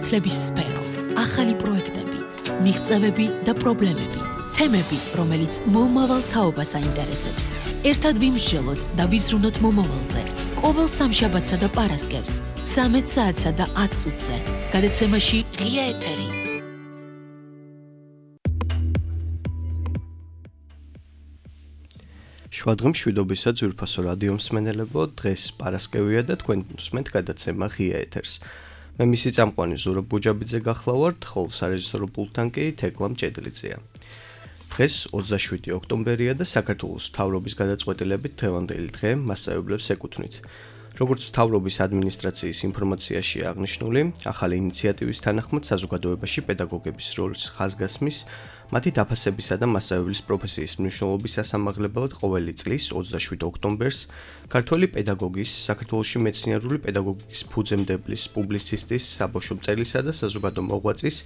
განათლების სფერო, ახალი პროექტები, მიღწევები და პრობლემები, თემები, რომელიც მომავალ თაობას აინტერესებს. ერთად ვიმსჯელოთ და ვიზრუნოთ მომავალზე. ყოველ სამშაბათსა და პარასკევს 13 საათსა და 10 წუთზე. გადაცემაში ღია ეთერი. შუადღე მშვიდობისა ძვირფასო რადიო მსმენელებო, დღეს პარასკევია და თქვენ უსმენთ გადაცემა ღია ეთერს. მე მისი წამყვანი ზურაბ ბუჯაბიძე გახლავართ, ხოლო სარეჟისორო პულტთან კი თეკლა მჭედლიძეა. დღეს 27 ოქტომბერია და საქართველოს მთავრობის გადაწყვეტილებით დღევანდელი დღე მასწავლებლებს ეკუთვნით. როგორც მთავრობის ადმინისტრაციის ინფორმაციაში აღნიშნული, ახალი ინიციატივის თანახმად საზოგადოებაში პედაგოგების როლის ხაზგასმის, მათი დაფასებისა და მასწავლებლის პროფესიის მნიშვნელობის სასამაღლებლად ყოველი წლის 27 ოქტომბერს ქართველი პედაგოგის, საქართველოში მეცნიერული პედაგოგიკის ფუძემდებლის, პუბლიცისტის, საბავშვო მწერლისა და საზოგადო მოღვაწის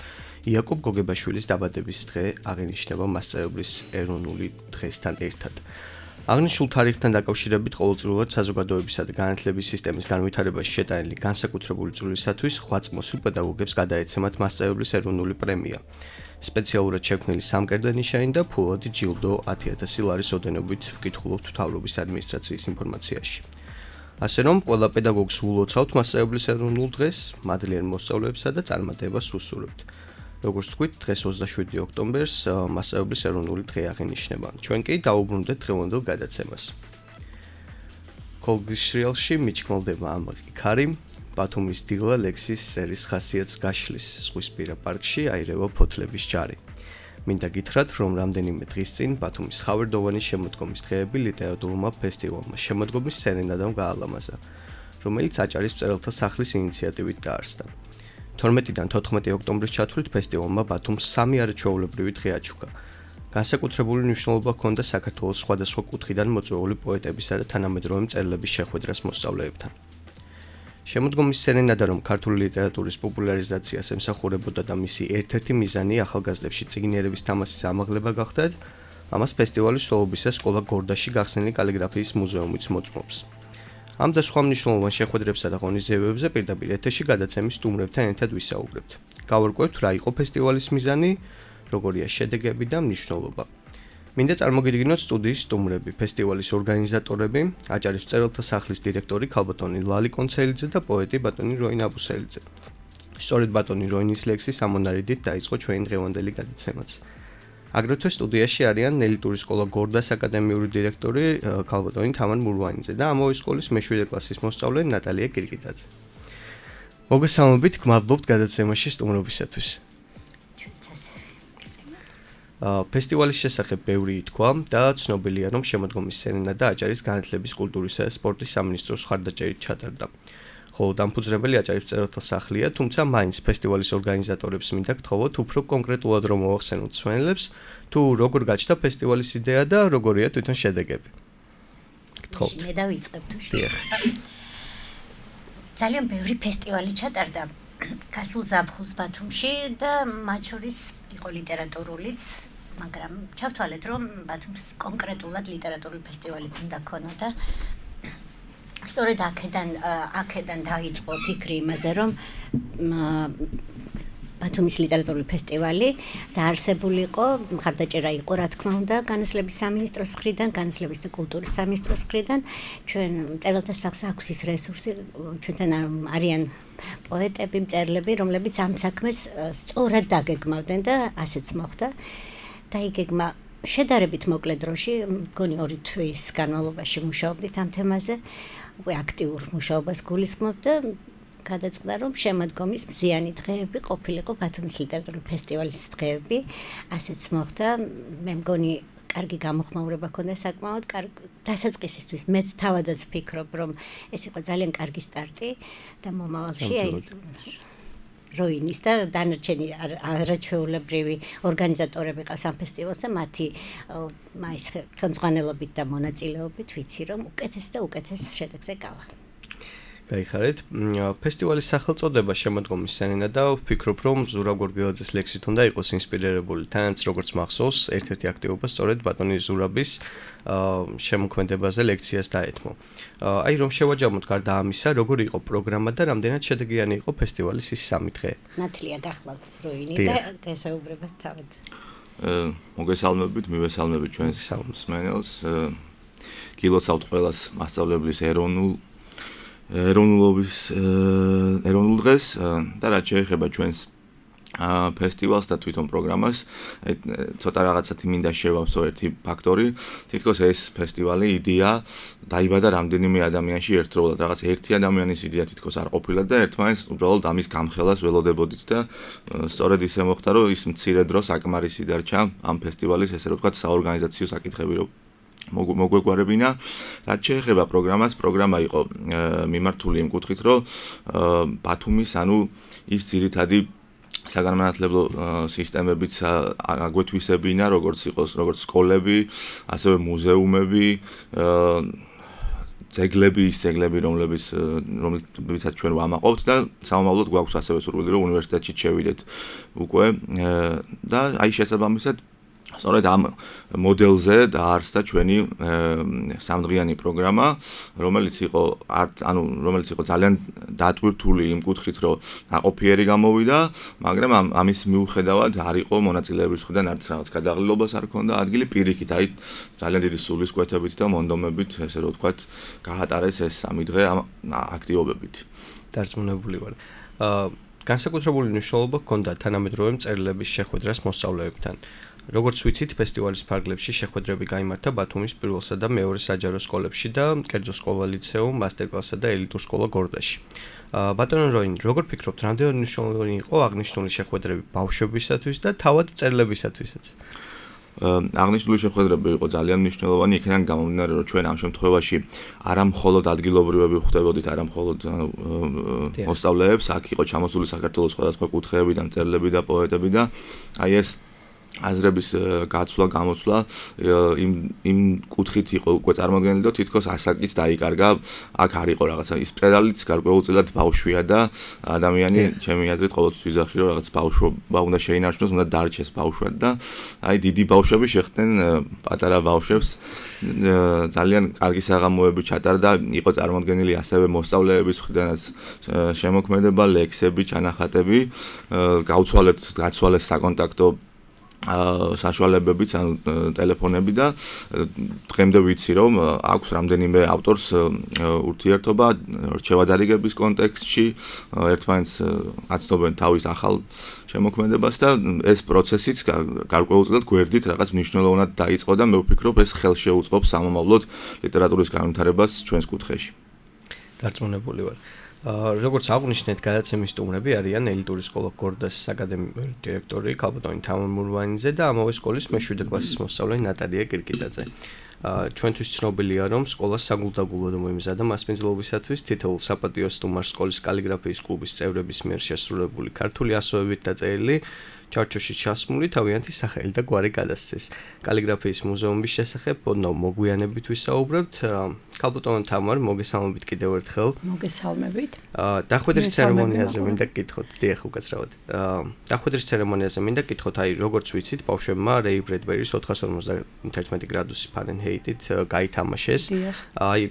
იაკობ გოგებაშვილის დაბადების დღე აღინიშნება მასწავლებლის ეროვნული დღესთან ერთად. აღნიშნულ თარიღთან დაკავშირებით ყოველწლიურად საზოგადოებისა და განათლების სისტემის განვითარებაში შეტანილი განსაკუთრებული წვლილისათვის 8 წმოსვილ პედაგოგებს გადაეცემათ მასწავლებლის ეროვნული პრემია. სპეციალურად შექმნილი სამკერდე ნიშანი და ფულადი ჯილდო 10,000 ლარის ოდენობით ვკითხულობთ მთავრობის ადმინისტრაციის ინფორმაციაში. ასე რომ, ყველა პედაგოგს ულოცავთ მასწავლებლის ეროვნულ დღეს, მადლიერ მოსწავლეებსა და წარმატებას უსურვებთ. როგორც ვთქვით, დღეს 27 ოქტომბერს მასწავლებლის ეროვნული დღე აღინიშნება. ჩვენ კი დაუბრუნდეთ დღევანდელ გადაცემას. კოლგის სრიალში მიჩქმელდება ამაყ იქარი, ბათუმის დილა ლექსის სერის ხასიათს გაშლის ზღვისპირა პარკში აირევა ფოთლების ჯარი. მინდა გითხრათ, რომ რამდენიმე დღის წინ ბათუმის ხავერდოვანი შემოდგომის დღეები ლიტერატურულმა ფესტივალმა შემოდგომის სერენადამ გაალამაზა, რომელიც აჭარის მწერალთა სახლის ინიციატივით დაარსდა. 12-დან 14 ოქტომბრის ჩათვლით ფესტივალმა ბათუმს 3 არაჩვეულებრივი დღე აჩუქა. განსაკუთრებული მნიშვნელობა ჰქონდა საქართველოს სხვადასხვა კუთხიდან მოწვეული პოეტებისა და თანამედროვე მწერლების შეხვედრას მოსწავლეებთან. შემოდგომის სერენადა, რომ ქართული ლიტერატურის პოპულარიზაციას ემსახურებოდა და მისი ერთ-ერთი მიზანი ახალგაზრდებში წიგნიერების თამასის ამაღლება გახდა, ამას ფესტივალის სრულობისას სკოლა გორდაში გახსნილი კალიგრაფიის მუზეუმიც მოწმობს. ამ და სხვა მნიშვნელოვან შეხვედრებსა და ღონისძიებებზე პირდაპირ ეთერში გადაცემის სტუმრებთან ერთად ვისაუბრებთ. გავარკვევთ, რა იყო ფესტივალის მიზანი, როგორია შედეგები და მნიშვნელობა. მინდა წარმოგიდგინოთ სტუდიის სტუმრები, ფესტივალის ორგანიზატორები, აჭარის მწერალთა სახლის დირექტორი ქალბატონი ლალი კონცელიძე და პოეტი ბატონი როინ აბუსელიძე. სწორედ ბატონი როინის ლექსის ამონარიდით დაიწყო ჩვენი დღევანდელი გადაცემაც. აგრეთვე სტუდიაში არიან ნელიტური სკოლა გორდას აკადემიური დირექტორი ქალბატონი თამარ მურვანიძე და ამავე სკოლის მე-7 კლასის მოსწავლე ნატალია კირკიტაძე. მოგესალმებით, გმადლობთ გადაცემაში სტუმრობისათვის. ფესტივალის შესახებ ბევრი ითქვა და ცნობილია, რომ შემოდგომის სერენადა აჭარის განათლების, კულტურისა და სპორტის სამინისტროს მხარდაჭერით ჩატარდა. ხოლო დამფუძნებელი აჭარის მწერალთა სახლია, თუმცა მაინც ფესტივალის ორგანიზატორებს მინდა გთხოვოთ უფრო კონკრეტულად რომ მოახსენოთ მსმენელებს, თუ როგორ გაჩნდა ფესტივალის იდეა და როგორია თვითონ შედეგები. გთხოვთ. მე დავიწყებ თუ შეიძლება. ძალიან ბევრი ფესტივალი ჩატარდა გასულ ზაფხულს ბათუმში და მათ შორის იყო ლიტერატურულიც, მაგრამ ჩავთვალეთ, რომ ბათუმს კონკრეტულად ლიტერატურული ფესტივალიც უნდა ქონოდა. სწორედ აქედან დაიწყო ფიქრი იმაზე, რომ ბათუმის ლიტერატურული ფესტივალი დაარსებული იყო, მხარდაჭერა იყო, რა თქმა უნდა, განათლების სამინისტროს მხრიდან, განათლების და კულტურის სამინისტროს მხრიდან. ჩვენ მწერალთა სახლს აქვს ის რესურსი, ჩვენთან არიან პოეტები, მწერლები, რომლებიც ამ საქმეს სწორად დაგეგმავდნენ და ასეც მოხდა. დაიგეგმა შედარებით მოკლე დროში, მგონი 2 თვის განმავლობაში მუშაობდით ამ თემაზე, უკვე აქტიურ მუშაობას გულისხმობ და გადაწყდა, რომ შემოდგომის მზიანი დღეები ყოფილიყო ბათუმის ლიტერატურული ფესტივალის დღეები, ასეც მოხდა. მე მგონი კარგი გამოხმაურება ჰქონდა საკმაოდ, დასაწყისისთვის მეც თავადაც ვფიქრობ, რომ ეს იყო ძალიან კარგი სტარტი და მომავალში როინის და დანარჩენი არაჩვეულებრივი ორგანიზატორები ყავს ამ ფესტივალს და მათი ხელმძღვანელობით და მონაწილეობით ვიცი, რომ უკეთეს და უკეთეს შედეგზე გავა. გაიხარეთ. ფესტივალის სახელწოდება შემოდგომის სენენა და ვფიქრობ, რომ ზურაბ გორგელაძის ლექსით უნდა იყოს ინსპირირებული. თანაც როგორც მახსოვს, ერთ-ერთი აქტივობა სწორედ ბატონი ზურაბის შემოქმედებაზე ლექციას დაეთმო. Აი რომ შევაჯამოთ გარდა ამისა, როგორი იყო პროგრამა და რამდენად შედეგიანი იყო ფესტივალის ის 3 დღე. ნათლია გახლავთ როინი და გასაუბრებად თავად. მოგესალმებით, მივესალმებით ჩვენს მსმენელს. გილოცავთ ყველას მასწავლებლის ეროვნულ დღეს და რაც შეეხება ჩვენს ფესტივალს და თვითონ პროგრამას, ცოტა რაღაცათი მინდა შევავსო ერთი ფაქტორი. თითქოს ეს ფესტივალი იდეა დაიბადა რამდენიმე ადამიანში ერთდროულად. რაღაც ერთი ადამიანის იდეა თითქოს არ ყოფილა და ერთმანეთს უბრალოდ ამის გამხელას ველოდებოდით და სწორედ ისე მოხდა, რომ ის მცირე დრო საკმარისი დარჩა ამ ფესტივალის, ესე რომ ვთქვათ, საორგანიზაციო საკითხები რომ მოგვეგვარებინა. რაც შეეხება პროგრამას, პროგრამა იყო მიმართული იმ კუთხით, რომ ბათუმის, ის ძირითადი საგანმანათლებლო სისტემებიც აგვეთვისებინა, როგორც სკოლები, ასევე მუზეუმები, ძეგლები, რომლებიცაც ჩვენ ვამაყობთ და სამომავლოდ გვაქვს ასევე სურვილი, რომ უნივერსიტეტში შევიდეთ უკვე და აი შესაბამისად სწორედ ამ მოდელზე დაარსდა ჩვენი 3დღიანი პროგრამა, რომელიც იყო ძალიან დატვირთული იმ კუთხით, რომ ნაყოფიერი გამოვიდა, მაგრამ ამის მიუხედავად არ იყო მონაწილეების მხრიდან არც რაღაც გადაღლილობას არ ჰქონდა ადგილი, პირიქით, აი ძალიან დიდი სულისკვეთებით და მონდომებით, ესე რომ ვთქვათ, გაატარეს ეს 3 დღე ამ აქტივობებით. დარწმუნებული ვარ. განსაკუთრებული მნიშვნელობა ჰქონდა თანამედროვე მწერლების შეხვედრას მოსწავლეებთან. როგორც ვიცით, ფესტივალის ფარგლებში შეხვედრები გაიმართა ბათუმის პირველსა და მეორე საჯარო სკოლებში და კერძო სკოლა ლიცეუმ, მასტერკლასსა და ელიტურ სკოლა გორდაში. ბატონო როინ, როგორ ფიქრობთ, რამდენად მნიშვნელოვანი იყო აღნიშნული შეხვედრები ბავშვებისათვის და თავად მწერლებისათვისაც? აღნიშნული შეხვედრები იყო ძალიან მნიშვნელოვანი, იქიდან გამომდინარე, რომ ჩვენ ამ შემთხვევაში არა მხოლოდ ადგილობრივები ხვდებოდით, არა მხოლოდ მოსწავლეებს, აქ იყო ჩამოსული საქართველოს სხვადასხვა კუთხეებიდან მწერლები და პოეტები და აი ეს აზრების გაცვლა, გამოცვლა იმ კუთხით იყო უკვე წარმოდგენილი და თითქოს ასაკიც დაიკარგა. აქ არ იყო რაღაცა ის მწერალიც გარკვეულწილად ბავშვია და ადამიანი ჩემი აზრით ყოველთვის ვიზახი რომ რაღაც ბავშვობა უნდა შეინარჩუნოს, უნდა დარჩეს ბავშვად და აი დიდი ბავშვები შეხვდნენ პატარა ბავშვებს. ძალიან კარგი საღამოები ჩატარდა, იყო წარმოდგენილი ასევე მოსწავლეების მხრიდანაც შემოქმედება, ლექსები, ჩანახატები, გაცვალეს საკონტაქტო საშუალებებიც, ტელეფონები და დღემდე ვიცი, რომ აქვს რამდენიმე ავტორს ურთიერთობა რჩევადარიგების კონტექსტში, ერთმანეთს აცნობენ თავის ახალ შემოქმედებას და ეს პროცესიც გარკვეულწილად გვერდით რაღაც მნიშვნელოვნად დაიწყო და მე ვფიქრობ, ეს ხელშეუწყობს სამომავლოდ ლიტერატურის განვითარებას ჩვენს კუთხეში. დარწმუნებული ვარ. როგორც აღნიშნეთ, გადაცემის სტუმრები არიან ელიტური სკოლა გორდას აკადემიური დირექტორი ქალბატონი თამარ მურვანიძე და ამავე სკოლის მე-7 კლასის მოსწავლე ნატალია კირკიტაძე. ჩვენთვის ცნობილია, რომ სკოლა საგულდაგულოდ მოიმზადა მასპინძლობისათვის თითოეულ საპატიო სტუმარს სკოლის კალიგრაფიის კლუბის წევრების მიერ შესრულებული ქართული ასოებით დაწერილი ჩარჩოში ჩასმული თავიანთი სახელი და გვარი გადასცეს. კალიგრაფიის მუზეუმის შესახებ ოდნავ მოგვიანებით ვისაუბრებთ. ქალბატონ თამარ, მოგესალმებით კიდევ ერთხელ. მოგესალმებით. დახვედრის ცერემონიაზე მინდა გკითხოთ, დიახ, უკაცრავად. დახვედრის ცერემონიაზე მინდა გკითხოთ, აი, როგორც ვიცით, ბავშვებმა რეი ბრედბერის 451 გრადუსი ფარენჰეიტით გაითამაშეს. აი,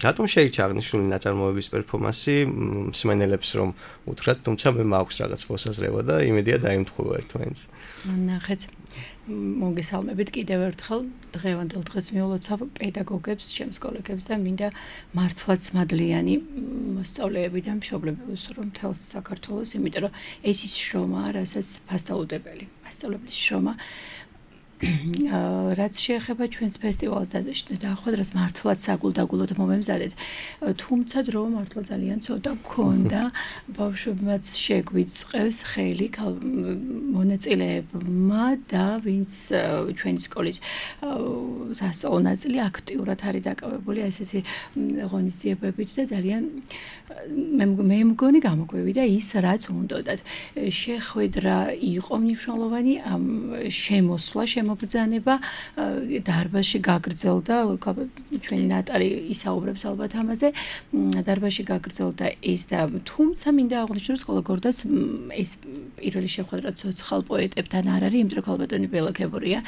რატომ შეირჩა აღნიშნული ნაწარმოების პერფორმანსი მსმენელებს რომ უთხრათ, თუმცა მე მაქვს რაღაც მოსაზრება და იმედია დაიმთხულა ერთმანეთს. ნახეთ. მოგესალმებით კიდევ ერთხელ. დღევანდელ დღეს მიულოცავ პედაგოგებს, ჩემს კოლეგებს და მინდა მართლაც მადლიანი მოსწავლეები და მშობლები ვუსურვო მთელს საქართველოს, იმიტომ რომ ეს ის შრომაა, რასაც ფასდაუდებელი, მასწავლებლის შრომა. რაც შეეხება ჩვენს ფესტივალს დახვედრას მართლაც საგულდაგულოდ მომემზადეთ, თუმცა დრო მართლა ძალიან ცოტა გქონდა, ბავშვებმაც შეგვიწყეს ხელი მონაწილეებმა და ვინც ჩვენი სკოლის სასწავლო ნაწილი აქტიურად არის დაკავებული ესეთი ღონისძიებებით და ძალიან მე მგონი გამოგვივიდა ის, რაც უნდოდათ. შეხვედრა იყო მნიშვნელოვანი, შემოსვლა შემობრძანება დარბაზში გაგრძელდა ჩვენი ნატალი ისაუბრებს ალბათ ამაზე დარბაზში გაგრძელდა ეს და თუმცა მინდა აღვნიშნო რომ სკოლა გორდას ეს პირველი შეხვედრა ცოცხალ პოეტებთან არ არის იმიტომ რომ ქალბატონი ბელაქებურია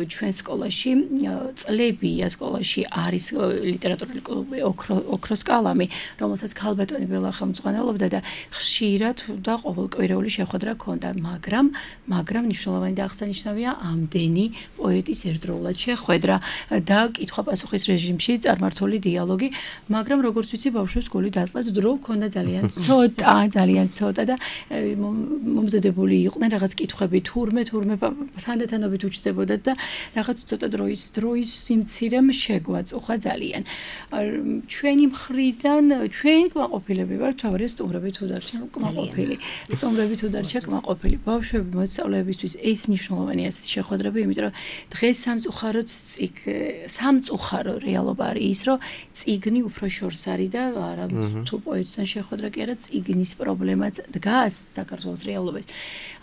ჩვენ სკოლაში წლებია სკოლაში არის ლიტერატურული კლუბი ოქროს კალამი რომელსაც ქალბატონი ბელა ხელმძღვანელობდა და ხშირად და ყოველკვირეული შეხვედრა ჰქონდა მაგრამ მნიშვნელოვანი და აღსანიშნავია ამდენი პოეტის ერთდროულად შეხვედრა და კითხვა-პასუხის რეჟიმში წარმართული დიალოგი მაგრამ როგორც ვიცი ბავშვებს გული დასწრად დრო ჰქონდა ძალიან ცოტა და მომზადებული იყვნენ რაღაც კითხვები თურმე თანდათანობით უჩნდებოდათ და რაღაც ცოტა დროის სიმცირემ შეგვაწუხა ძალიან ჩვენი მხრიდან ჩვენ კმაყოფილები ვართ თავარი სტუმრები თუ დარჩა კმაყოფილი ბავშვები მოსწავლეებისთვის ეს მნიშვნელოვანია ასეთი შეხვედრები იმიტომ რომ დღეს სამწუხარო რეალობა არის ის რომ წიგნი უფრო შორს არის და არა თუ პოეტთან შეხვედრა კი არა წიგნის პრობლემაც დგას საქართველოს რეალობაში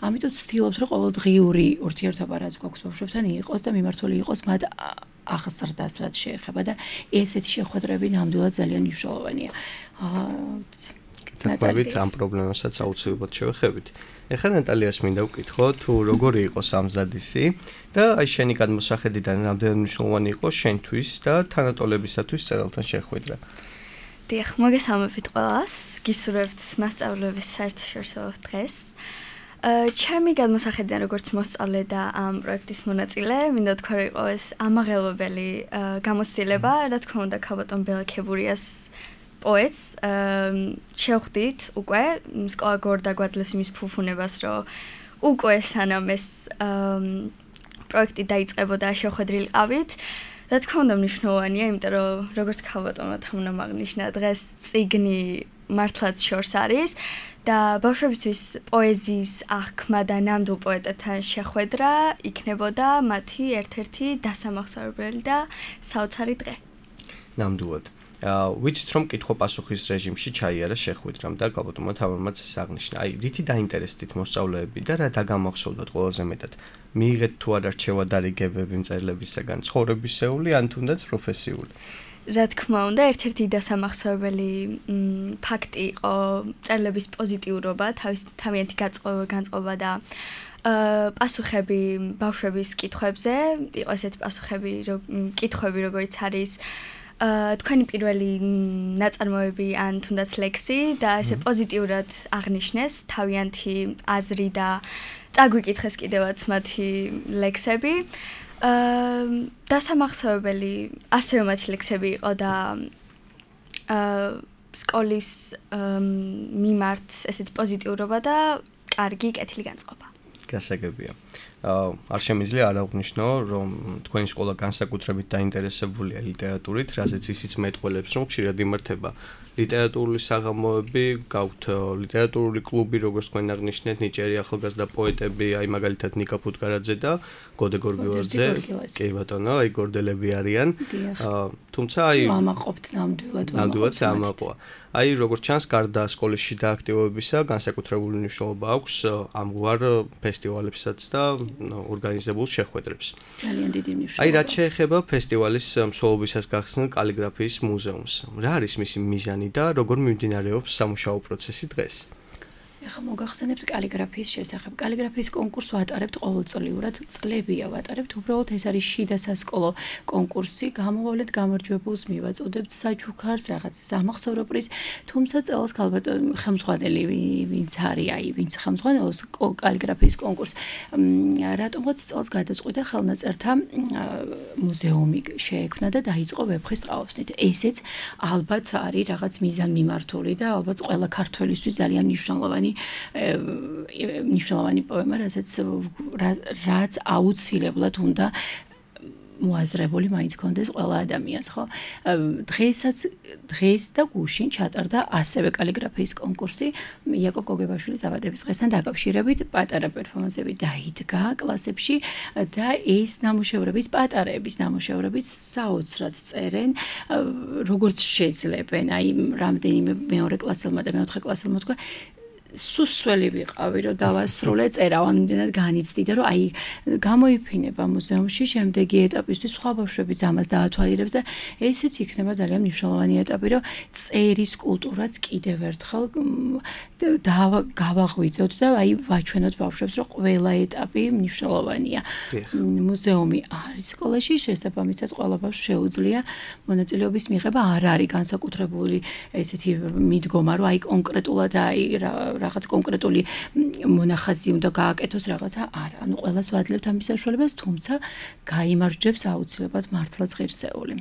ამიტომ ვცდილობთ რომ ყოველდღიური ურთიერთობა რაც გვაქვს ბავშვებთან იყოს და მიმართული იყოს მათ აღზრდას რაც შეეხება და ესეთი შეხვედრები ნამდვილად ძალიან მნიშვნელოვანია კეთებით ამ პრობლემასაც აუცილებლად შევეხებით ეხლა ნატალიას მინდა ვკითხო თუ როგორი იყო სამზადისი და აი შენი გადმოსახედიდან რამდენად მნიშვნელოვანი იყო შენთვის და თანატოლებისათვის წერალთან შეხვედრა დიახ მოგესალმებით ყველას გისურვებთ მასწავლებლების საერთაშორისო დღეს ჩემი გადმოსახედიდან როგორც მოსწავლე და ამ პროექტის მონაწილე მინდა თქვა რომ იყო ეს ამაღელვებელი გამოცდილება რა თქმა უნდა ქალბატონ ბელაქებურიას პოეტს შევხვდით უკვე სკოლა გორდა გვაძლევს იმის ფუფუნებას რომ უკვე სანამ ეს პროექტი დაიწყებოდა შეხვედრილი ყავით რა თქმა უნდა მნიშვნელოვანია იმიტომ რომ როგორც ქალბატონმა უნდა მაგნიშნა დღეს წიგნი მართლაც შორს არის და ბავშვებისთვის პოეზიის აღქმა და ნამდვილ პოეტებთან შეხვედრა იქნებოდა მათი ერთ-ერთი დასამახსოვრებელი და საოცარი დღე ნამდვილად ვიცით რომ კითხვა-პასუხის რეჟიმში ჩაიარა შეხვედრამ და ქალბატონმა თამარმაც ეს აღნიშნა. აი, რითი დაინტერესდით მოსწავლეები და რა დაგამახსოვრდათ ყველაზე მეტად? მიიღეთ თუ არ არჩევა დარიგებები მწერლებისაგან, ცხოვრებისეული ან თუნდაც პროფესიული? რა თქმა უნდა, ერთ-ერთი დასამახსოვრებელი ფაქტი იყო მწერლების პოზიტიურობა, თავიანთი განწყობა და პასუხები ბავშვების კითხვებზე, იყო ესეთი პასუხები, კითხვები, როგორც არის თქვენი პირველი ნაწარმოები ან თუნდაც ლექსი და ესე პოზიტიურად აღნიშნეს თავიანთი აზრი და წაგვიკითხეს კიდევაც მათი ლექსები. დასამახსოვრებელი ასევე მათი ლექსები იყო და სკოლის მიმართ ესეთი პოზიტიურობა და კარგი კეთილი განწყობა. გასაგებია. არ შემიძლია არ აღვნიშნო, რომ თქვენი სკოლა განსაკუთრებით დაინტერესებულია ლიტერატურით, რაზეც ისიც მეტყველებს, რომ ხშირად იმართება ლიტერატურული საღამოები, გაქვთ ლიტერატურული კლუბი, როგორც თქვენ აღნიშნეთ, ნიჭიერი ახალგაზრდა პოეტები, აი მაგალითად ნიკა ფუტკარაძე და გოდე გორგილაძე. კი ბატონო, აი გორდელები არიან. თუმცა აი ამაყობთ ნამდვილად. ნამდვილად ამაყვა. აი როგორც ჩანს, გარდა სკოლის შიდა აქტივობებისა, განსაკუთრებული მნიშვნელობა აქვს ამგვარ ფესტივალებსაც და ორგანიზებულ შეხვედრებს. ძალიან დიდი მნიშვნელობა. აი რაც შეეხება ფესტივალის მსვლელობისას გახსნილ კალიგრაფიის მუზეუმს. რა არის მისი მიზანი და როგორ მიმდინარეობს სამუშაო პროცესი დღეს? ეხლა მოგახსენებთ კალიგრაფიის შესახებ. კალიგრაფიის კონკურსს ვატარებთ ყოველწლიურად, წლებია ვატარებთ. უბრალოდ ეს არის შიდა სასკოლო კონკურსი. გამოვალეთ გამარჯვებულს, მივაწოდებთ საჩუქარს, რაღაც სამახსოვრო პრიზ. თუმცა წელს ხელმძღვანელი ვინც არის, აი ვინც ხელმძღვანელობს კალიგრაფიის კონკურსს, რატომღაც წელს გადაწყვიტა ხელნაწერთა მუზეუმი შეექმნა და დაიწყო ვეფხის ყაოსნით. ესეც ალბათ არის რაღაც მიზანმიმართული და ალბათ ყველა ქართველისთვის ძალიან მნიშვნელოვანი პოემა, რაც აუცილებლად უნდა მოაზრებული მაინც კონდეს ყველა ადამიანს, ხო? დღეს და გუშინ ჩატარდა ასევე კალიგრაფიის კონკურსი იაკობ გოგებაშვილის დაბადების დღესთან დაკავშირებით, პატარა პერფორმანსები დაიდგა კლასებში და ეს ნამუშევრების პატარების ნამუშევრების საოცრად წერენ, როგორც შეძლებენ, აი რამდენიმე მეორე კლასელმა და მეოთხე კლასელმა თქვა სუსველი ვიყავი, რომ დავასრულე წერა, ამდენად განიცდი და რომ აი გამოიფინება მუზეუმში შემდეგი ეტაპისთვის სხვა ბავშვებიც ამას დაათვალიერებს და ესეც იქნება ძალიან მნიშვნელოვანი ეტაპი, რომ წერის კულტურაც კიდევ ერთხელ გავაღვიძოთ და აი ვაჩვენოთ ბავშვებს, რომ ყველა ეტაპი მნიშვნელოვანია. მუზეუმი არის სკოლაში, შესაბამისად ყველა ბავშვს შეუძლია მონაწილეობის მიღება, არ არის განსაკუთრებული ესეთი მიდგომა, რომ აი კონკრეტულად აი რაღაც კონკრეტული მონახაზი უნდა გააკეთოს რაღაცა არა. ანუ ყველას ვაძლევთ ამის საშუალებას, თუმცა გაიმარჯვებს აუცილებლად მართლაც ღირსეული.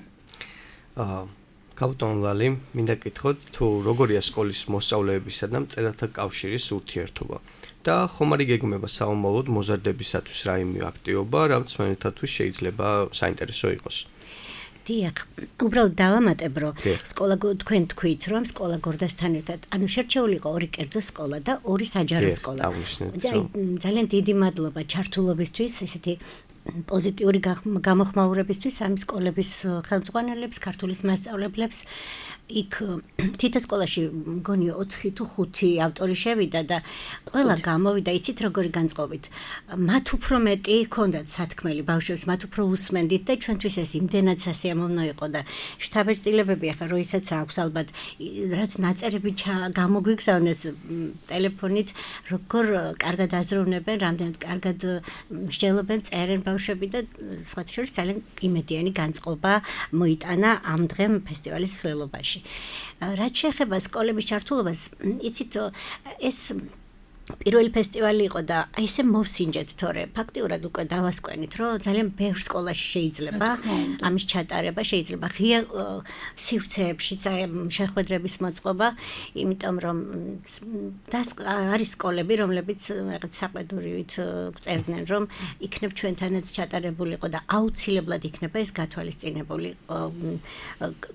კაპიტან ლალი, მინდა გითხოთ, თუ როგორია სკოლის მოსწავლეებისა და მწერალთა კავშირის ურთიერთობა და ხომ არ იგეგმება საომავლოდ მოზარდებისათვის რაიმე აქტივობა, რაც თქვენთათვის შეიძლება საინტერესო იყოს? დიახ, უბრალოდ დავამატებ, რომ სკოლა თქვენ თქვით, რომ სკოლა გორდასთან ერთად, ანუ შერჩეული იყო 2 კერძო სკოლა და 2 საჯარო სკოლა. ძალიან დიდი მადლობა ჩართულობისთვის, ესეთი პოზიტიური გამოხმაურებისთვის ამ სკოლების ხელმძღვანელებს, ქართულის მასწავლებლებს. იქ თითო სკოლაში მგონი 4 თუ 5 ავტორი შევიდა და ყველა გამოვიდა, იცით როგორი განწყობით. მათ უფრო მეტი ჰქონდათ სათქმელი ბავშვებს, მათ უფრო უსმენდით და ჩვენთვის ეს იმდენად სასიამოვნო იყო და შთაბეჭდილებები ახლა როისაც აქვს ალბათ რაც ნაწერები გამოგვიგზავნეს ტელეფონით, როგორ კარგად აზროვნებენ, რამდენად კარგად მსჯელობენ, წერენ ბავშვები და სხვათა შორის ძალიან იმედიანი განწყობა მოიტანა ამ დღემ ფესტივალის მსვლელობაში. რაც შეეხება სკოლების ჩართულობას, იცით, ეს პირველი ფესტივალი იყო და ესე მოვსინჯეთ, თორე ფაქტიურად უკვე დავასკვენით, რომ ძალიან ბევრ სკოლაში შეიძლება ამის ჩატარება, შეიძლება ღია სივრცეებშიც შეხვედრების მოწყობა, იმიტომ რომ არის სკოლები, რომლებიც რაღაც საყედურივით წერდნენ, რომ იქნებ ჩვენთანაც ჩატარებულიყო და აუცილებლად იქნება ეს გათვალისწინებული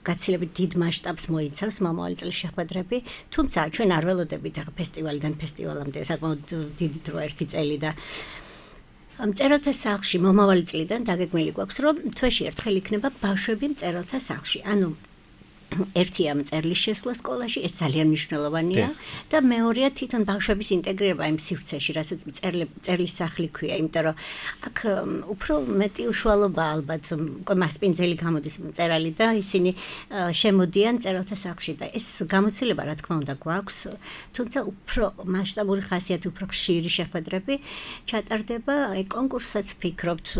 გაცილებით დიდ მასშტაბს მოიცავს მომავალი წლის შეხვედრები, თუმცა ჩვენ არ ველოდებით ახლა ფესტივალიდან ფესტივალამდე საკმაოდ დიდი დრო 1 წელი და მწერალთა სახლში მომავალი წლიდან დაგეგმილი გვაქვს, რომ თვეში ერთხელ იქნება ბავშვები მწერალთა სახლში. ანუ ერთია მწერლის შესვლა სკოლაში, ეს ძალიან მნიშვნელოვანია და მეორეა თვითონ ბავშვების ინტეგრირება იმ სივრცეში, რასაც მწერლის სახლი ქვია, იმიტომ რომ აქ უფრო მეტი უშუალობა ალბათ მასპინძელი გამოდის მწერალი და ისინი შემოდიან მწერალთა სახლში და ეს გამოცდილება რა თქმა უნდა გვაქვს, თუმცა უფრო მასშტაბური ხასიათი, უფრო ხშირი შეხვედრები ჩატარდება, აი კონკურსაც ვფიქრობთ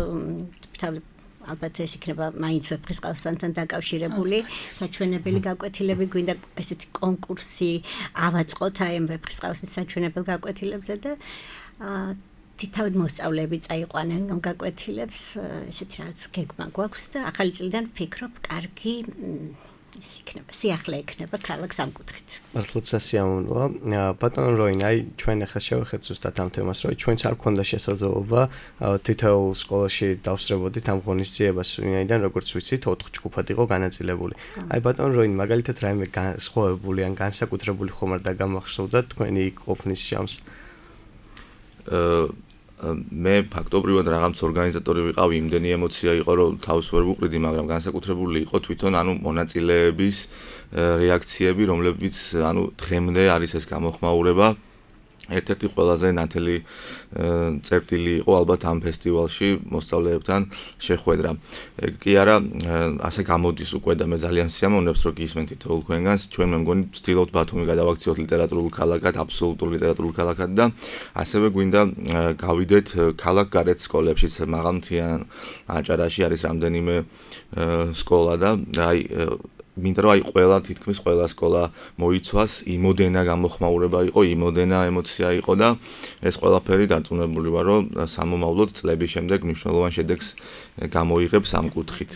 ალბათ ეს იქნება მაინც ვეფხისტყაოსანთან დაკავშირებული საჩვენებელი გაკვეთილები, გვინდა ესეთი კონკურსი ავაწყოთ აი ამ ვეფხისტყაოსნის საჩვენებელ გაკვეთილებზე და თითავთ მოსწავლეები წაიყვანენ ამ გაკვეთილებს, ესეთი რაღაც გეგმა გვაქვს და ახალი წლიდან ვფიქრობ, კარგი ის იქნება, სიახლე იქნება ქალაქს ამ კუთხით. მართლაც სასიამოვნოა. ბატონ როინ, აი ჩვენ ახლა შევეხეთ ზუსტად ამ თემას, რომ ჩვენც არ გქონდა შესაძლებლობა თითოეულ სკოლაში დავსწრებოდით ამ ღონისძიებას, ვინაიდან როგორც ვიცით, 4 ჯგუფად იყო განაწილებული. აი ბატონ როინ, მაგალითად რაიმე განსხვავებული ან განსაკუთრებული ხომ არ დაგამახსოვდა თქვენი იქ ყოფნის შამს? მე ფაქტობრივად რაღაც ორგანიზატორი ვიყავი, იმდენი ემოცია იყო, რომ თავს ვერ ვუყრიდი, მაგრამ განსაკუთრებული იყო თვითონ ანუ მონაწილეების რეაქციები, რომლებიც ანუ დღემდე არის ეს გამოხმაურება. ერთ-ერთი ყველაზე ნათელი წერტილი იყო ალბათ ამ ფესტივალში მოსწავლეებთან შეხვედრა. კი არა, ასე გამოდის უკვე და მე ძალიან სიამოვნებს, რომ გისმენთ თითოეულ თქვენგანს. ჩვენ მე მგონი ვცდილობთ ბათუმი გადავაქციოთ ლიტერატურულ ქალაქად, აბსოლუტურ ლიტერატურულ ქალაქად და ასევე გვინდა გავიდეთ ქალაქგარეთ სკოლებშიც, მაღალმთიან აჭარაში არის რამდენიმე სკოლა და აი მინდა რომ აი ყველა თითქმის ყველა სკოლა მოიცვას, იმოდენა გამოხმაურება იყო, იმოდენა ემოცია იყო და ეს ყველაფერი დარწმუნებული ვარ, რომ სამომავლოდ წლების შემდეგ მნიშვნელოვან შედეგს გამოიღებს ამ კუთხით.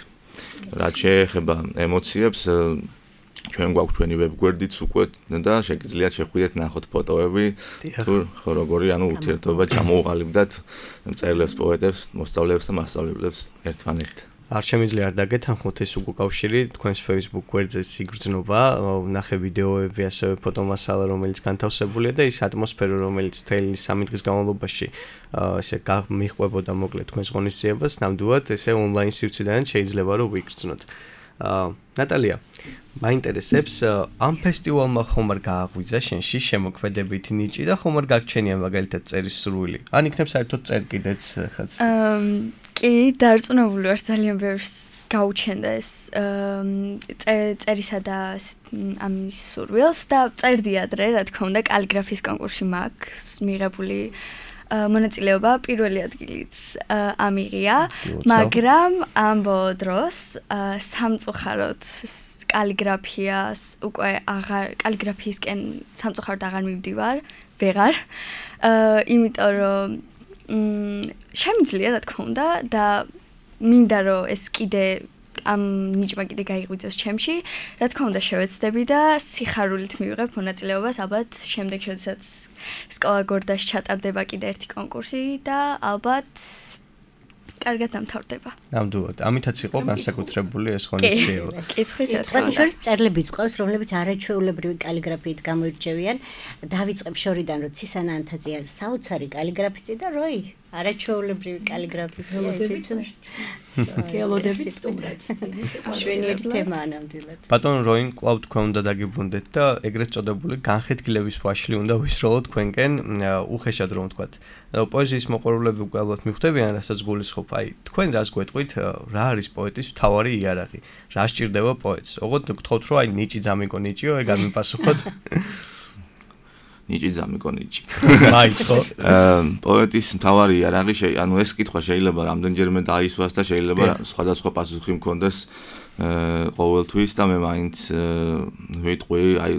რაც შეეხება ემოციებს, ჩვენ გვაქვს ჩვენი ვებგვერდიც უკვე და შეგიძლიათ შეხვიდეთ, ნახოთ ფოტოები, თუ როგორი ანუ ურთიერთობა ჩამოუყალიბდათ მწერლებს, პოეტებს, მოსწავლეებს და მასწავლებლებს ერთმანეთთან. არ შემიძლია არ დაგეთანხმოთ ეს უკავშირი თქვენს Facebook გვერდზე იგრძნობა, ნახე ვიდეოები, ასევე ფოტომასალა, რომელიც განთავსებულია და ის ატმოსფერო, რომელიც მთელი 3 დღის განმავლობაში ესე მიყვებოდა მოკლედ თქვენს ღონისძიებას, ნამდვილად ესე ონლაინ სივრციდან შეიძლება რომ ვიგრძნოთ. ნატალია, მაინტერესებს ამ ფესტივალმა ხომ არ გააღვიძა შენში შემოქმედებითი ნიჭი და ხომ არ გაგჩენია მაგალითად წერის სურვილი? ან იქნებ საერთოდ წერ კიდეც ხაც? კი, დარწმუნებული ვარ ძალიან ბევრს გაუჩენდა ეს წერისა და ამის სურვილს და წერდი ადრე, რა თქმა უნდა, კალიგრაფიის კონკურსში მაქვს მიღებული მონაწილეობა პირველი ადგილიც ამიღია, მაგრამ ამ ბოლო დროს სამწუხაროდ კალიგრაფიას უკვე კალიგრაფიისკენ სამწუხაროდ აღარ მივდივარ, ვეღარ, იმიტომ რომ შემიძლია რა თქმა უნდა და მინდა რომ ეს კიდე ამ ნიჭმა კიდე გაიღვიძოს ჩემში, რა თქმა უნდა შევეცდები და სიხარულით მივიღებ მონაწილეობას, ალბათ შემდეგ შესაძაც სკოლა გორდაში ჩატარდება კიდე ერთი კონკურსი და ალბათ კარგად დამთავრდება. ნამდვილად. ამითაც იყო განსაკუთრებული ეს ღონისძიება. კითხვით შორის წერლების ყავს, რომლებიც არაჩვეულებრივი კალიგრაფიით გამოირჩევიან. დავიწყებ შორიდან, რომ ცისანა ანთაძეა საოცარი კალიგრაფისტი და როი არაჩვეულებრივი კალიგრაფისტი გელოდებით სტუმრად. შვენიერი თემაა ნამდვილად. ბატონ როინ კვლავ თქვენ უნდა დაგიბრუნდეთ და ეგრეთ წოდებული განხეთქილების ფაშლი უნდა ვისროლოთ თქვენკენ უხეშად რომ ვთქვათ. პოეზიის მოყვარულები უკვე ალბათ მიხვდებიან, რასაც გულისხმობ. აი, თქვენ რას გვეტყვით, რა არის პოეტის მთავარი იარაღი? რა სჭირდება პოეტს? ოღონდ გთხოვთ, რომ აი ნიჭი ძამიკო ნიჭიო, ეგ არ მიპასუხოთ. ნიჭი ძამიკო ნიჭი. მაიწყო. პოეტის მთავარი იარაღი, ანუ ეს კითხვა შეიძლება რამდენჯერმე დაისვას და შეიძლება სხვადასხვა პასუხი მქონდეს ყოველთვის და მე მაინც ვიტყვი, აი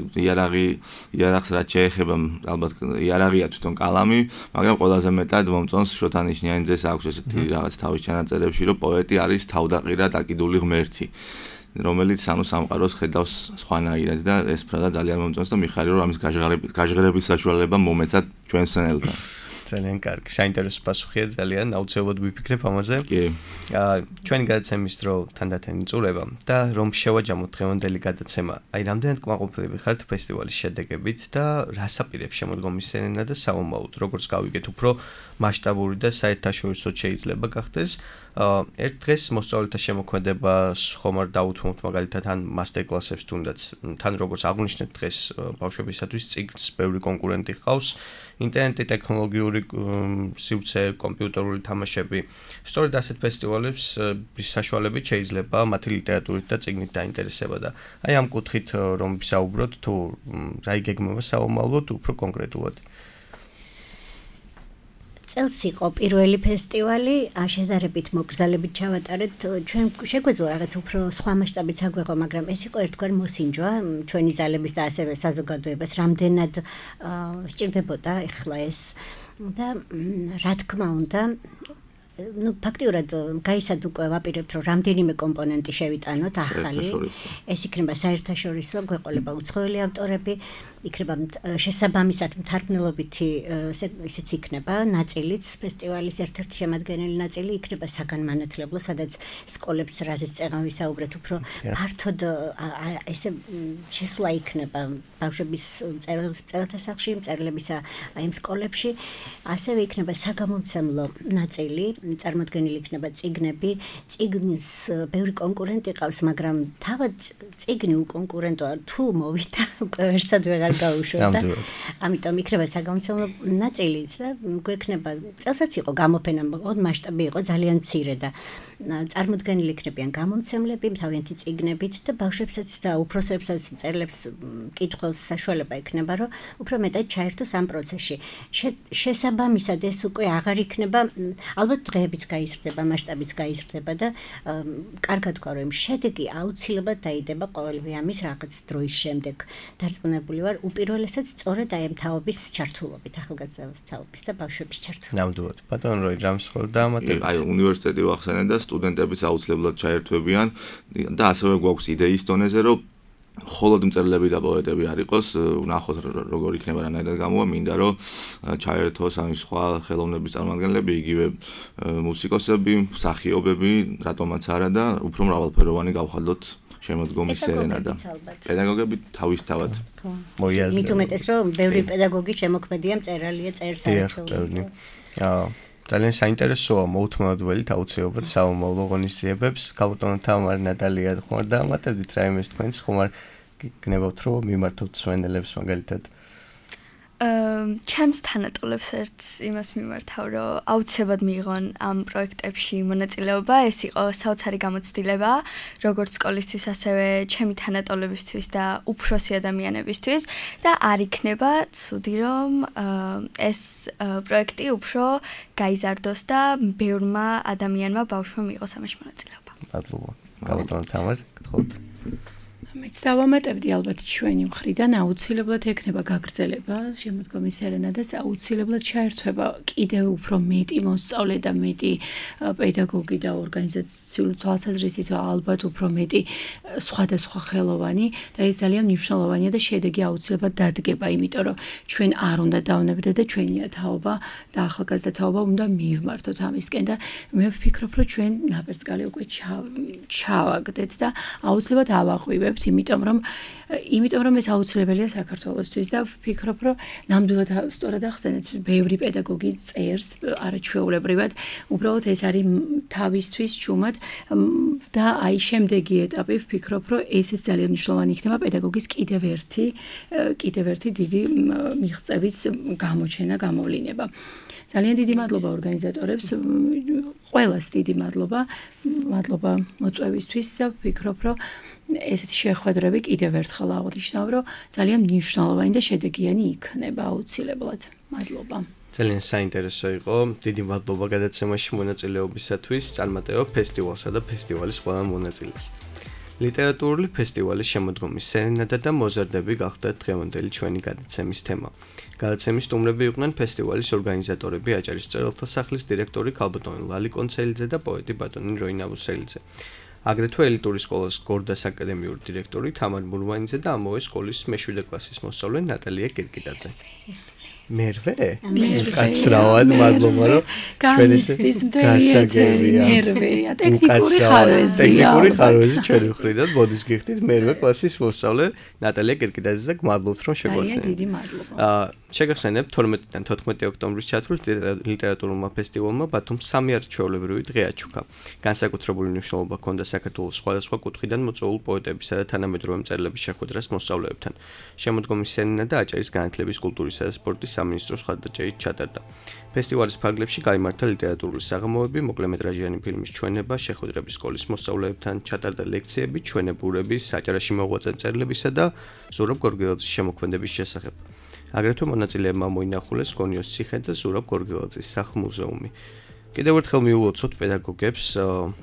იარაღს რაც შეეხება, ალბათ იარაღია თვითონ კალამი, მაგრამ ყველაზე მეტად მომწონს შოთანიშნიანიძეს აქვს ესეთი რაღაც თავის ჩანაწერებში, რომ პოეტი არის თავდაყირა დაკიდული ღმერთი. რომელიც ანუ სამყაროს ხედავს სხვანაირად და ეს ფრაზა ძალიან მომწონს და მიხარია რომ ამის გაჟღერების საშუალება მომეცათ ჩვენს მცენელთან. ძალიან კარგი, საინტერესო პასუხია ძალიან, აუცილებლად ვიფიქრებ ამაზე. კი. ჩვენი გადაცემის დრო თანდათან იწურება და რომ შევაჯამოთ დღევანდელი გადაცემა, აი რამდენად კმაყოფილები ხართ ფესტივალის შედეგებით და რას აპირებს შემოდგომის სცენა და საომალოდ, როგორც გავიგეთ, უფრო მასშტაბური და საერთაშორისო შეიძლება გახდეს. ერთ დღეს მოსწავლეთა შემოქმედებას ხომ არ დაუთმობთ მაგალითად ან მასტერ-კლასებს თუნდაც თან როგორც აღნიშნეთ დღეს ბავშვებისათვის წიგნს ბევრი კონკურენტი ჰყავს ინტერნეტი ტექნოლოგიური სივრცე კომპიუტერული თამაშები სწორედ ასეთ ფესტივალებს საშუალებით შეიძლება მათი ლიტერატურით და წიგნით დაინტერესება და აი ამ კუთხით რომ ვისაუბროთ თუ რა იგეგმება საომალოდ უფრო კონკრეტულად წელს იყო პირველი ფესტივალი, შედარებით მოგზალებით ჩავატარეთ. ჩვენ შეგვეძლო რაღაც უფრო სხვა მასშტაბით საგვეღო, მაგრამ ეს იყო ერთგვარი მოსინჯვა ჩვენი ძალების და ასევე საზოგადოებას რამდენად სჭირდებოდა ეხლა ეს და რა თქმა უნდა ფაქტიურად გაისად უკვე ვაპირებთ რომ რამდენიმე კომპონენტი შევიტანოთ ახალი ეს იქნება საერთაშორისო გვეყოლება უცხოელი ავტორები იქნება შესაბამისად მთარგმნელობითი ისიც იქნება ნაწილიც ფესტივალის ერთ-ერთი შემადგენელი ნაწილი იქნება საგანმანათლებლო სადაც სკოლებს რაზეც წეღან ვისაუბრეთ უფრო ფართოდ ესე შესვლა იქნება ბავშვების წერილთა სახლში მწერლებისა აი ამ სკოლებში ასევე იქნება საგამომცემლო ნაწილი წარმოდგენილი იქნება წიგნები წიგნის ბევრი კონკურენტი ყავს მაგრამ თავად წიგნი უკონკურენტოა თუ მოვიდა უკვე ვერსად ვეღარ გაუშვებდა. ამიტომ იქნება საგამომცემლო ნაწილიც და გვექნება წელსაც იყო გამოფენა, მასშტაბი იყო ძალიან მცირე და წარმოდგენილი იქნებიან გამომცემლები, თავიანთი წიგნებით და ბავშვებსაც და უფროსებსაც მწერლებს კითხველს საშუალება იქნება, რომ უფრო მეტად ჩაერთოს ამ პროცესში. შესაბამისად ეს უკვე აღარ იქნება, ალბათ დღეებიც გაიზრდება, მასშტაბიც გაიზრდება და კარგად თქვა, რომ შედეგი აუცილებლად დაიდება ყოველივე ამის რაღაც დროის შემდეგ. დარწმუნებული ვარ უპირველესად სწორედ აი ამ თაობის ჩართულობით, ახალგაზრდების თაობის და ბავშვების ჩართულობით. ნამდვილად. ბატონ როი რამს ხოლდა ამატებით? აი უნივერსიტეტი ვახსენე და სტუდენტებიც აუცილებლად ჩაერთვებიან და ასევე გვაქვს იდეის დონეზე, რომ მხოლოდ მწერლები და პოეტები არ იყოს, ვნახოთ როგორ იქნება რანაირად გამოვა, მინდა რომ ჩაერთოს ამის სხვა ხელოვნების წარმომადგენლები, იგივე მუსიკოსები, მსახიობები, რატომაც არა და უფრო მრავალფეროვანი გავხადოთ შემოდგომის სცენა და პედაგოგები თავისთავად მოიაზრებენ. მით უმეტეს რომ ბევრი პედაგოგი შემოქმედია მწერალია წერს საერთოდ. ძალიან საინტერესოა მოუთმევადველით აუცილებლად სამომავლო ღონისძიებებს. ქალბატონო თამარ, ნატალია, ხომ არ დაამატებდით რაიმეს თქვენს, ხომ არ გნებავთ რომ მიმართოთ სვენელებს მაგალითად? ჩემს თანატოლებს ერთ იმას მიმართავ, რომ აუცილებლად მიიღონ ამ პროექტებში მონაწილეობა, ეს იყო საოცარი გამოცდილება, როგორც სკოლისთვის, ასევე ჩემი თანატოლებისთვის და უფროსი ადამიანებისთვის და არ იქნება ცუდი, რომ ეს პროექტი უფრო გაიზარდოს და ბევრმა ადამიანმა ბავშვმა მიიღოს ამაში მონაწილეობა. მადლობა. ქალბატონო თამარ, გთხოვთ. მეც დავამატებდი ალბათ ჩვენი მხრიდან აუცილებლად ექნება გაგრძელება შემოდგომის სერენადას აუცილებლად ჩაერთვება კიდევ უფრო მეტი მოსწავლე და მეტი პედაგოგი და ორგანიზაციული თვალსაზრისით ალბათ უფრო მეტი სხვადასხვა ხელოვანი და ეს ძალიან მნიშვნელოვანია და შედეგი აუცილებლად დადგება იმიტომ რომ ჩვენ არ უნდა დავნებდეთ და ჩვენია თაობა და ახალგაზრდა თაობა უნდა მივმართოთ ამისკენ და მე ვფიქრობ რომ ჩვენ ნაპერწკალი უკვე ჩავაგდეთ და აუცილებლად ავაღვივებთ იმიტომ რომ ეს აუცილებელია საქართველოსთვის და ვფიქრობ რომ ნამდვილად სწორად ახსენეთ ბევრი პედაგოგი წერს არაჩვეულებრივად უბრალოდ ეს არის თავისთვის ჩუმად და აი შემდეგი ეტაპი ვფიქრობ რომ ესეც ძალიან მნიშვნელოვანი იქნება პედაგოგის კიდევ ერთი დიდი მიღწევის გამოჩენა გამოვლინება ძალიან დიდი მადლობა ორგანიზატორებს ყველას დიდი მადლობა მოწვევისთვის და ვფიქრობ რომ ესეთი შეხვედრები კიდევ ერთხელ აღნიშნავ, რომ ძალიან მნიშვნელოვანი და შედეგიანი იქნება აუცილებლად. მადლობა. ძალიან საინტერესო იყო. დიდი მადლობა გადაცემაში მონაწილეობისათვის. წარმატება ფესტივალსა და ფესტივალის ყველა მონაწილეს. ლიტერატურული ფესტივალის შემოდგომის სერენადა და მოზარდები გახდა დღევანდელი ჩვენი გადაცემის თემა. გადაცემის სტუმრები იყვნენ ფესტივალის ორგანიზატორები აჭარის მწერალთა სახლის დირექტორი ქალბატონი ლალი კონცელიძე და პოეტი ბატონი როინა ვუსელიძე. აგრეთვე ელიტური სკოლის გორდას აკადემიური დირექტორი თამარ მურვანიძე და ამავე სკოლის მე-7 კლასის მოსწავლე ნატალია კირკიდაძე. მერვე? კაცრავად მადლობა რომ განიცდის მერვეა ტექნიკური ხარვეზი ჩვენი მხრიდან მოდის გიხდით მერვე კლასის მოსწავლე ნატალია კირკიდაძე და გმადლობთ რომ შეგვახსენეთ. დიდი მადლობა. შეგახსენებთ 12-დან 14 ოქტომბრის ჩათვლილ ლიტერატურულმა ფესტივალმა ბათუმს 3 არაჩვეულებრივი დღე აჩუქა. განსაკუთრებული მნიშვნელობა ჰქონდა საქართველოს სხვადასხვა კუთხიდან მოწვეულ პოეტებისა და თანამედროვე მწერლების შეხვედრას მოსწავლეებთან. შემოდგომის სერენადა აჭარის განათლების, კულტურისა და სპორტის სამინისტროს მხარდაჭერით ჩატარდა. ფესტივალის ფარგლებში გაიმართა ლიტერატურული საღამოები, მოკლემეტრაჟიანი ფილმის ჩვენება, შეხვედრები სკოლის მოსწავლეებთან, ჩატარდა ლექციები ჩვენებურების, საჭარაში მოღვაწე მწერლებისა და ზურაბ გორგელაძის შემოქმედების შესახებ. აგრეთვე მონაწილეებმა მოინახულეს გონიოს ციხე და ზურაბ გორგელაძის სახლ-მუზეუმი. კიდევ ერთხელ მიულოცოთ პედაგოგებს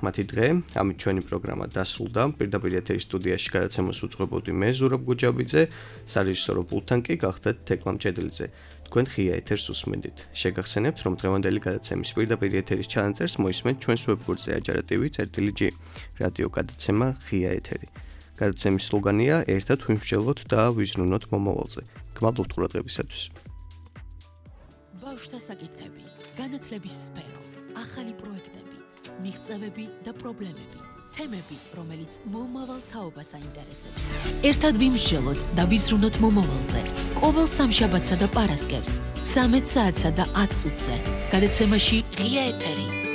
მათი დღე, ამით ჩვენი პროგრამა დასრულდა. პირდაპირ ეთერის სტუდიაში გადაცემას უძღვებოდი მე ზურაბ გუჯაბიძე, სარეჟისორო პულტთან კი გახდათ თეკლა მჭედლიძე. თქვენ ღია ეთერს უსმენდით. შეგახსენებთ, რომ დღევანდელი გადაცემის პირდაპირ ეთერის ჩანაწერს მოისმენთ ჩვენს ვებგვერდზე ajarativi.gi. რადიო გადაცემა ღია ეთერი. გადაცემის სლოგანია ერთად ვიმსჯელოთ და ვიზრუნოთ მომავალზე. გმადლობთ ყურადღებისათვის. ბავშვთა საკითხები, განათლების სფერო, ახალი პროექტები, მიღწევები და პრობლემები, თემები, რომელიც მომავალ თაობას აინტერესებს. ერთად ვიმსჯელოთ და ვიზრუნოთ მომავალზე. ყოველ სამშაბათსა და პარასკევს 13 საათსა და 10 წუთზე. გადაცემაში ღია ეთერი.